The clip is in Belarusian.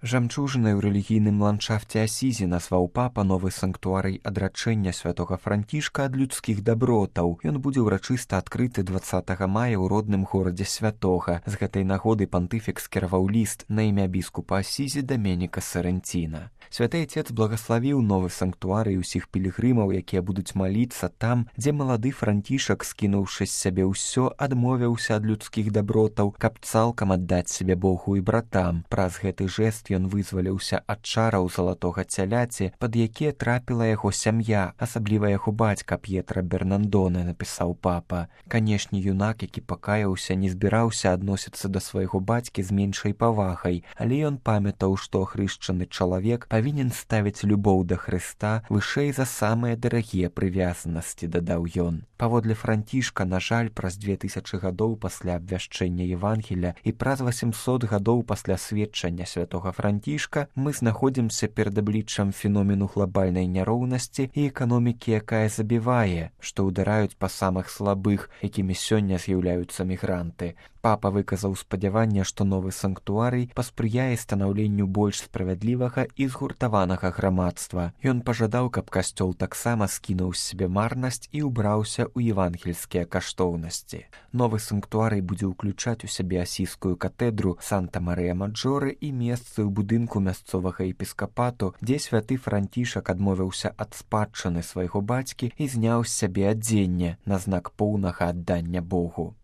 Жамчужынай у рэлігійным ландшафце Асізі назваў папа новы санктуарый адрачэння святога Францішка ад людскіх дабротаў. Ён будзе ўрачыста адкрыты 20 мая ў родным горадзе святога. З гэтай нагоды пантыфік скіраваў ліст на імя біскупа Асізі Даменіка Сарэнціна. Святы Отец благаславіў новы санктуарый усіх пілігрымаў, якія будуць маліцца там, дзе малады Францішак, скінуўшы з сябе ўсё, адмовіўся ад людскіх дабротаў, каб цалкам аддаць сябе Богу і братам. Праз гэты жэст ён вызваліўся ад чараў залатога цяляці, пад якія трапіла яго сям'я, асабліва яго бацька П'етра Бернандоне, напісаў папа. Канешне, юнак, які пакаяўся, не збіраўся адносіцца да свайго бацькі з меншай павагай, але ён памятаў, што ахрышчаны чалавек павінен ставіць любоў да Хрыста вышэй за самыя дарагія прывязанасці, дадаў ён. Паводле Францішка, на жаль, праз 2000 гадоў пасля абвяшчэння Евангелля і праз 800 гадоў пасля сведчання святога Францішка мы знаходзімся перад абліччам феномену глобальнай няроўнасці і эканомікі, якая забівае, што ўдараюць па самых слабых, якімі сёння з'яўляюцца мігранты. Папа выказаў спадзяванне, што новы санктуарый паспрыяе станаўленню больш справядлівага і згуртаванага грамадства. Ён пажадаў, каб касцёл таксама скінуў з сябе марнасць і ўбраўся ў евангельскія каштоўнасці. Новы санктуарый будзе ўключаць у сябе асійскую катэдру Санта-Марыя-Маджоры і месцы ў будынку мясцовага епіскапату, дзе святы Францішак адмовіўся ад спадчыны свайго бацькі і зняў з сябе адзенне на знак поўнага аддання Богу.